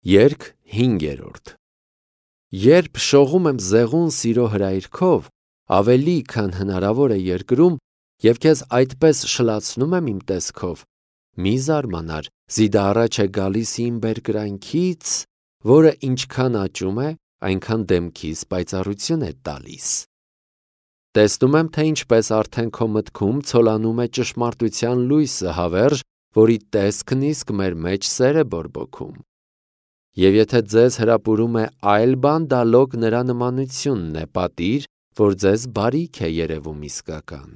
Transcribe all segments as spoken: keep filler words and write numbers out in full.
Երգ հինգերորդ Երբ շողում եմ զեղուն սիրո հրայրքով, ավելի քան հնարավոր է երկրում, և քեզ այդպես շլացնում եմ իմ տեսքով, մի զարմանար, զիդը առաջ է գալիս իմ բերկրանքից, որը ինչքան աճում է, այնքան դեմքիս պայծառություն է տալիս։ Տեսնում եմ, թե ինչպես արդեն քո մտքում ցոլանում է ճշմարտության լույսը հավերժ, որի տեսքն իսկ մեր մեջ սեր է բորբոքում։ Եվ եթե ձեզ հրապուրում է այլ բան, դա լոկ նրա նմանությունն է, պատիր, որ ձեզ բարիք է երևում իսկական։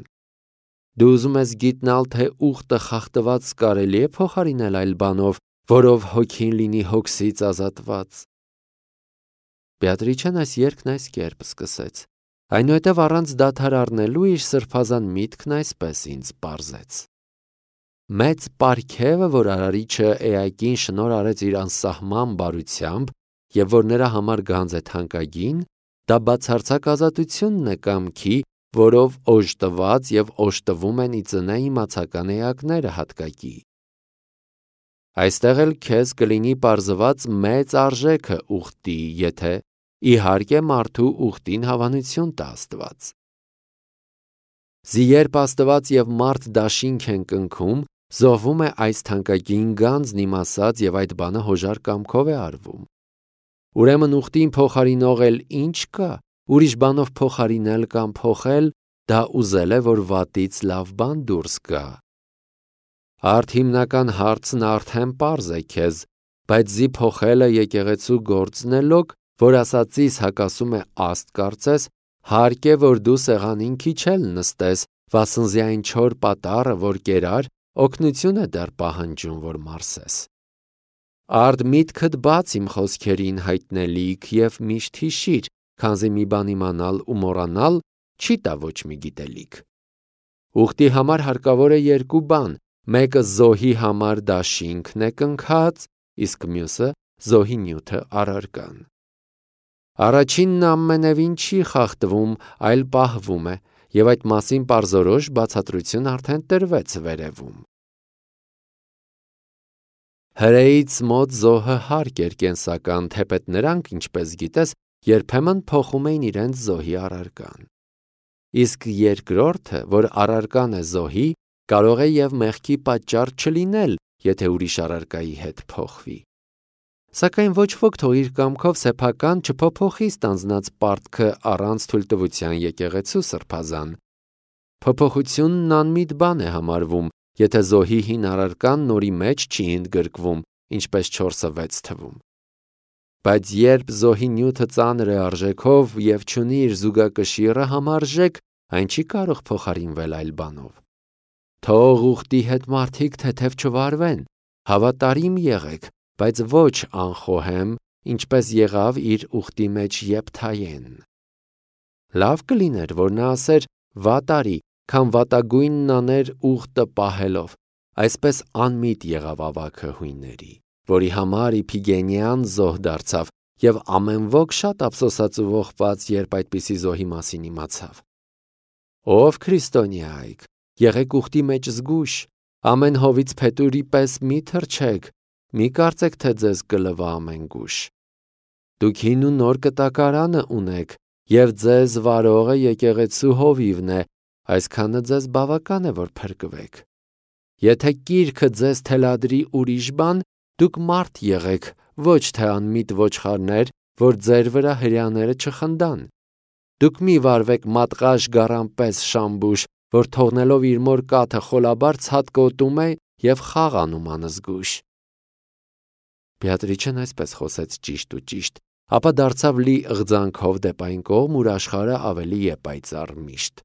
Դու ուզում ես գիտնալ, թե ուխտը խախտված կարելի է փոխարինել այլ բանով, որով հոգին լինի հոգսից ազատված։ Բեատրիչեն այս երգն այս կերպ սկսեց, այնուհետև առանց դադար առնելու իր սրբազան միտքն այսպես ինձ պարզեց. Մեծ պարգևը, որ Արարիչը Էակին շնորհ արեց իր անսահման բարությամբ, և որ նրա համար գանձ է թանկագին, դա բացարձակ ազատությունն է կամքի, որով օժտված և օժտվում են ի ծնե իմացական էակները հատկակի։ Այստեղ էլ քեզ կլինի պարզված մեծ արժեքը ուխտի, եթե իհարկե մարդու ուխտին հավանություն տա Աստված։ Զի երբ Աստված և մարդ դաշինք են կնքում, զոհվում է այս թանկագին գանձն իմ ասած և այդ բանը հոժար կամքով է արվում։ Ուրեմն ուխտին փոխարինող էլ ինչ կա, ուրիշ բանով փոխարինել կամ փոխել, դա ուզել է, որ վատից լավ բան դուրս գա։ Արդ հիմնական հարցն արդեն պարզ է քեզ, բայց զի փոխելը եկեղեցու գործն է լոկ, որ ասածիս հակասում է Աստ կարծես, հարկ է, որ դու սեղանին քիչ էլ նստես, վասնզի այն չոր պատառը, որ կերար, օգնություն է դեռ պահանջում, որ մարսես։ Արդ միտքդ բաց իմ խոսքերին հայտնելիք և միշտ հիշիր, քանզի մի բան իմանալ ու մոռանալ չի տա ոչ մի գիտելիք։ Ուխտի համար հարկավոր է երկու բան, մեկը զոհի համար դաշինքն է կնքած, իսկ մյուսը զոհի նյութը առարկան։ Առաջինն ամենևին չի խախտվում, այլ պահվում է, և այդ մասին պարզորոշ բացատրություն արդեն տրվեց վերևում։ Հրեից մոտ զոհը հարկ էր կենսական, թեպետ նրանք, ինչպես գիտես, երբեմն փոխում էին իրենց զոհի առարկան։ Իսկ երկրորդը, որ առարկան է զոհի, կարող է և մեղքի պատճառ չլինել, եթե ուրիշ առարկայի հետ փոխվի։ Սակայն ոչ ոք թող իր կամքով սեփական չփոփոխի ստանձնած պարտքը առանց թույլտվության եկեղեցու սրբազան։ Փոփոխությունն անմիտ բան է համարվում, եթե զոհի հին առարկան նորի մեջ չի ընդգրկվում, ինչպես չորսը վեց թվում։ Բայց երբ զոհի նյութը ծանր է արժեքով և չունի իր զուգակշիռը համարժեք, այն չի կարող փոխարինվել այլ բանով։ Թող ուխտի հետ մարդիկ թեթև չվարվեն, հավատարիմ եղեք, բայց ոչ անխոհեմ, ինչպես եղավ իր ուխտի մեջ Եփթայեն։ Լավ կլիներ, որ նա ասեր վատ արի, քան վատագույնն աներ ուխտը պահելով, այսպես անմիտ եղավ ավագը հույնների, որի համար Իփիգենիան զոհ դարձավ, և ամեն ոք շատ ափսոսաց ու ողբաց, երբ այդպիսի զոհի մասին իմացավ։ Ով քրիստոնյա եք, եղեք ուխտի մեջ զգույշ, ամեն հովից փետուրի պես մի թռչեք, մի կարծեք, թե ձեզ կլվա ամեն գուշ։ Դուք հին ու նոր կտակարանը ունեք, և ձեզ վարողը եկեղեցու հովիվն է, այսքանը ձեզ բավական է, որ փրկվեք։ Եթե կիրքը ձեզ թելադրի ուրիշ բան, դուք մարդ եղեք, ոչ թե անմիտ ոչխարներ, որ ձեր վրա հրեաները չխնդան։ Դուք մի վարվեք մատղաշ գառան պես շամբուշ, որ թողնելով իր մոր կաթը խոլաբար ցատկոտում է և խաղ անում անզգույշ։ Բեատրիչեն այսպես խոսեց ճիշտ ու ճիշտ, ապա դարձավ լի ըղձանքով դեպ այն կողմ, ուր աշխարհը ավելի է պայծառ միշտ։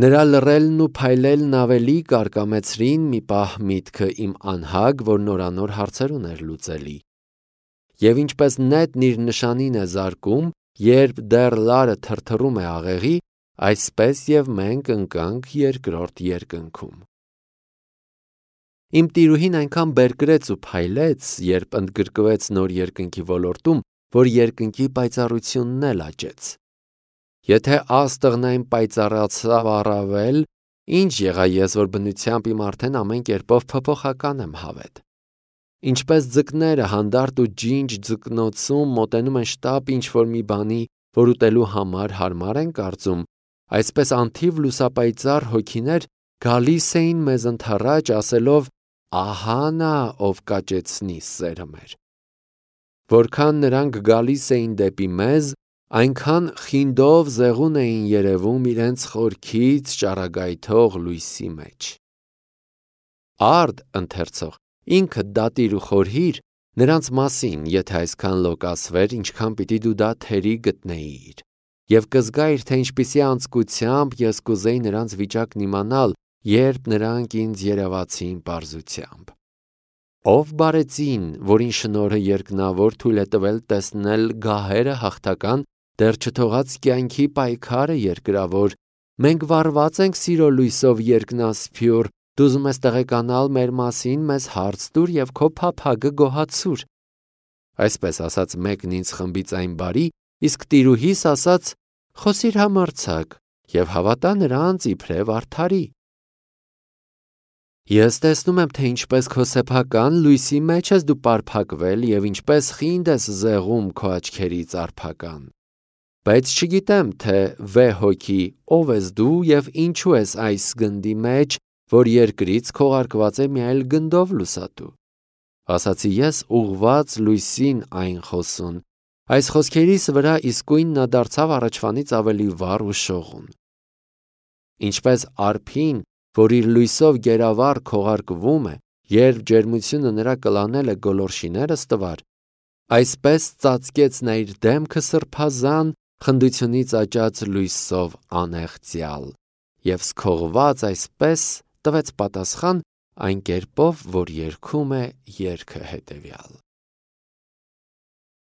Նրա լռելն ու փայլելն ավելի կարկամեցրին մի պահ միտքը իմ անհագ, որ նորանոր հարցեր ուներ լուծելի։ Եվ ինչպես նետն իր նշանին է զարկում, երբ դեռ լարը թրթռում է աղեղի, այսպես և մենք ընկանք երկրորդ երկնքում։ Իմ տիրուհին այնքան բերկրեց ու փայլեց, երբ ընդգրկվեց նոր երկնքի ոլորտում, որ երկնքի պայծառությունն էլ աճեց։ Եթե աստղն այն պայծառացավ առավել, ինչ եղա ես, որ բնությամբ իմ արդեն ամեն կերպով փոփոխական եմ հավետ։ Ինչպես ձկները հանդարտ ու ջինջ ձկնոցում մոտենում են շտապ ինչ-որ մի բանի, որ ուտելու համար հարմար են կարծում, այսպես անթիվ լուսապայծառ հոգիներ գալիս էին մեզ ընդառաջ ասելով. «Ահա նա, ով կաճեցնի սերը մեր»։ Որքան նրանք գալիս էին դեպի մեզ, այնքան խինդով զեղուն էին երևում իրենց խորքից ճառագայթող լույսի մեջ։ Արդ ընթերցող, ինքդ դատիր ու խորհիր նրանց մասին, եթե այսքան լոկասվեր, ինչքան պիտի դու դա թերի գտնեիր, և կզգայիր, թե ինչպիսի անձկությամբ ես կուզեի նրանց վիճակն իմանալ, երբ նրանք ինձ երևացին պարզությամբ։ Ով բարեցին, որին շնորհը երկնավոր թույլ է տվել տեսնել գահերը հաղթական, դեռ չթողած կյանքի պայքարը երկրավոր, մենք վառված ենք սիրո լույսով երկնասփյուռ, դու ուզում ես տեղեկանալ մեր մասին, մեզ հարց տուր և քո փափագը գոհացուր։ Այսպես ասաց մեկն ինձ խմբից այն բարի, իսկ տիրուհիս ասաց. խոսիր համարձակ և հավատա նրանց իբրև արդարի։ Ես տեսնում եմ, թե ինչպես քո սեփական լույսի մեջ ես դու պարփակվել և ինչպես խինդ ես զեղում քո աչքերից արփական։ Բայց չգիտեմ, թե վեհ հոգի ով ես դու և ինչու ես այս գնդի մեջ, որ երկրից քողարկված է մի այլ գնդով լուսատու։ Ասացի ես ուղղված լույսին այն խոսուն։ Այս խոսքերիս վրա իսկույն նա դարձավ առաջվանից ավելի վառ ու շողուն։ Ինչպես արփին, որ իր լույսով գերավառ քողարկվում է, երբ ջերմությունը նրա կլանել է գոլորշիները ստվար, այսպես ծածկեց նա իր դեմքը սրբազան, խնդությունից աճած լույսով անեղծյալ, և սքողված այսպես տվեց պատասխան այն կերպով, որ երգում է երգը հետևյալ.